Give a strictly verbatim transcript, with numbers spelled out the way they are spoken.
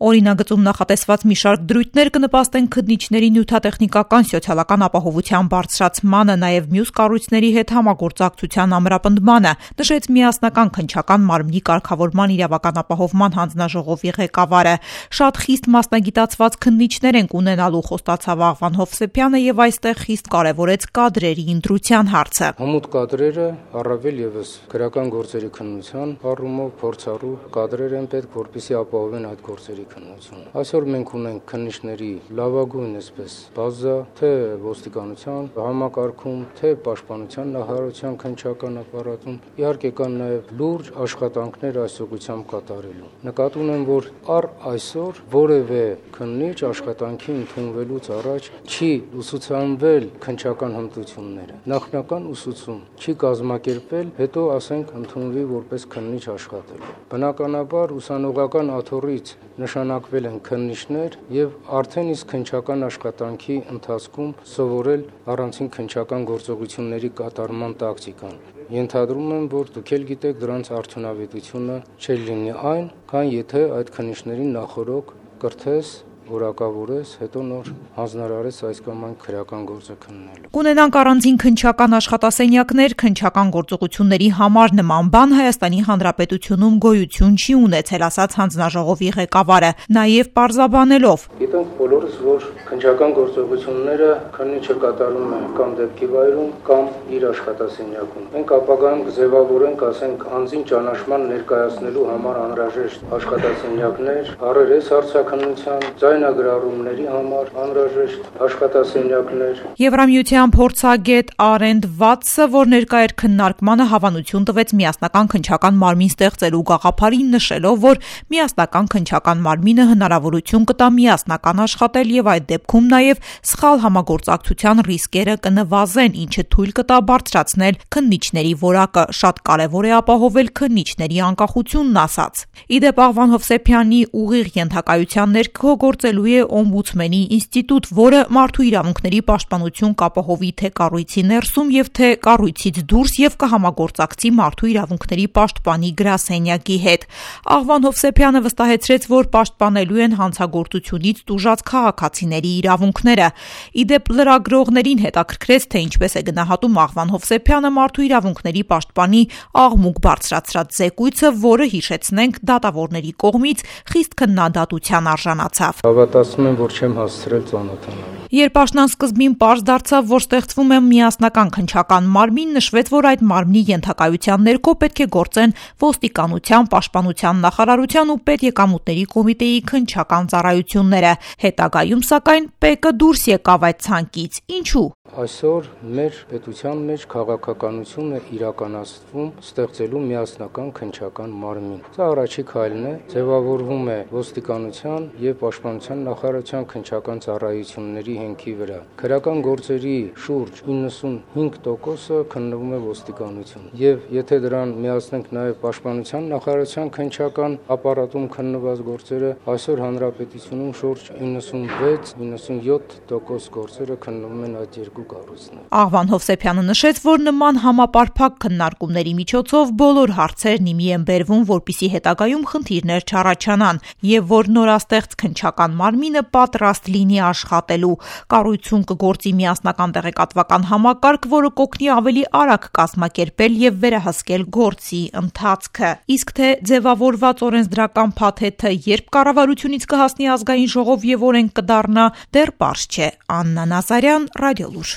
Օրինագծում նախատեսված մի շարք դրույթներ կնպաստեն քննիչների նյութատեխնիկական սոցիալական ապահովության բարձրացմանը, նաև մյուս կառույցների հետ համագործակցության ամրապնդմանը, նշեց միասնական քննչական մարմնի կարգավորման իրավական ապահովման հանձնաժողովի ղեկավարը։ Շատ խիստ մասնագիտացված քննիչներ ենք ունենալու, խոստացավ Աղվան Հովսեփյանը եւ այստեղ խիստ կարեւորեց կադրերի ընտրության հարցը։ Հմուտ կադրերը առավել եւս քրական գործերի քննության առումով փորձառու կադրեր են պետք, որպեսզի ապահովեն այդ գործերի քննությունը։ Այսօր մենք ունենք քննիչների լավագույն այսպես բազա, թե ոստիկանության համակարգում, թե պաշտպանության նախարարության քննչական ապարատում, իհարկե կան նաև լուրջ աշխատանքներ այս ուղղությամբ կատարելու։ Նկատի ունեմ, որ առ այսօր որևէ քննիչ աշխատանքի ընդունվելուց առաջ չի ուսուցանվել քննչական հմտությունները։ Նախնական ուսուցում չի կազմակերպել, հետո ասենք ընդունվի որպես քննիչ աշխատելու։ Բնականաբար ուսանողական աթոռից նշանակվել են քննիչներ եւ արդեն իսկ քննչական աշխատանքի ընթացքում սովորել առանցին քննչական գործողությունների կատարման տակտիկան։ Ենթադրում եմ, որ դուք էլ գիտեք, դրանց արդյունավետությունը չէ լինի այն, քան եթե այդ քննիչներին նախորոք կրթես, որակավորես, հետո նոր հանձնարարես այս կամ այն քրեական գործը քննելու։ Կունենանք առանձին քննչական աշխատասենյակներ քննչական գործողությունների համար, նման բան Հայաստանի Հանրապետությունում գոյություն չի ունեցել, ասաց հանձնաժողովի ղեկավարը, նաև պարզաբանելով. Գիտենք բոլորս, որ քննչական գործողությունները քննիչը կատարում է կամ դեպքի վայրում, կամ իր աշխատասենյակում։ Մենք ապագայում կձևավորենք, ասենք, անձին ճանաչման ներկայացնելու համար անհրաժեշտ աշխատասենյակներ, առերես հարցաքննության, ձայնագրառումների համար անհրաժեշտ աշխատասենյակներ։ Եվրամիության փորձագետ Արենդ Վատսը, որ ներկա էր քննարկմանը, հավանություն տվեց միասնական քննչական մարմին ստեղծելու գաղափարին, նշելով, որ միասնական քննչական մարմինը հնարավորություն կտա միասնական աշխատել եւ այդ դեպքում նաեւ սխալ համագործակցության ռիսկերը կնվազեն, ինչը թույլ կտա բարձրացնել քննիչների որակը։ Շատ կարեւոր է ապահովել քննիչների անկախությունն, ասաց։ Իդեպ Աղվան Հովսեփյանի ուղիղ ենթակայության ներքո գործելու է օմբուդսմենի ինստիտուտ, որը մարդու իրավունքների պաշտպանություն կապահովի թե կառույցի ներսում եւ թե կառույցից դուրս եւ կհամագործակցի մարդու իրավունքների պաշտպանի գրասենյակի հետ։ Աղվան Հովսեփյանը վստահեցրեց, որ պաշտպանելու են հանցագործությունից տուժած քաղաքացիների իրավունքները։ Իդեպ լրագրողներին հետաքրքրեց, թե ինչպես է գնահատում Աղվան Հովսեփյանը մարդու իրավունքների պաշտպանի աղմուկ բարձրացրած զեկույցը, որը, հիշեցնենք, դատավորների կողմից խիստ քննադատության արժանացավ։ Հավատացնում եմ, որ չեմ հասցրել ծանոթանալ։ Երբ աշնանսկզբին պարզ դարձավ, որ ստեղծվում է միասնական քննչական մարմին, նշվեց, որ այդ մարմնի ենթակայության ներքո պետք է գործեն ոստիկանության, պաշտպանության նախարարության ու պետեկամուտների կոմիտեի քննչական ծառայությունները։ Հետագայում, սակայն, ՊԵԿ-ը դուրս եկավ այդ ցանկից։ Ինչու՞։ Այսօր մեր պետության մեջ քաղաքականություն է իրականացվում ստեղծելու միասնական քննչական մարմին։ Սա առաջի քայլն է, ձևավորվում է ոստիկանության եւ պաշտպանության նախարարության քննչական ծառայությունների հենքի վրա։ Քրեական գործերի շուրջ իննսունհինգ տոկոսը քննվում է ոստիկանություն։ Եվ եթե դրան միացնենք նաեւ պաշտպանության նախարարության քննչական ապարատում քննված գործերը, այսօր հանրապետությունում շուրջ իննսունվեց իննսունյոթ տոկոս գործերը քննվում են այդ երկու կառույցներ։ Աղվան Հովսեփյանը նշեց, որ նման համապարփակ քննարկումների միջոցով բոլոր հարցերն իմի են բերվում, որպիսի հետագայում խնդիրներ չառաջանան, եւ որ նորաստեղծ քննչական մարմինը պատրաստ լինի աշխատելու։ Կառույցում կգործի միասնական տեղեկատվական համակարգ, որը կօգնի ավելի արագ կազմակերպել եւ վերահսկել գործի ընթացքը։ Իսկ թե ձևավորված օրենսդրական փաթեթը երբ կառավարությունից կհասնի ազգային ժողով եւ օրենք կդառնա, դեռ պարզ չէ։ Աննա Նազարյան, Ռադիոլուր։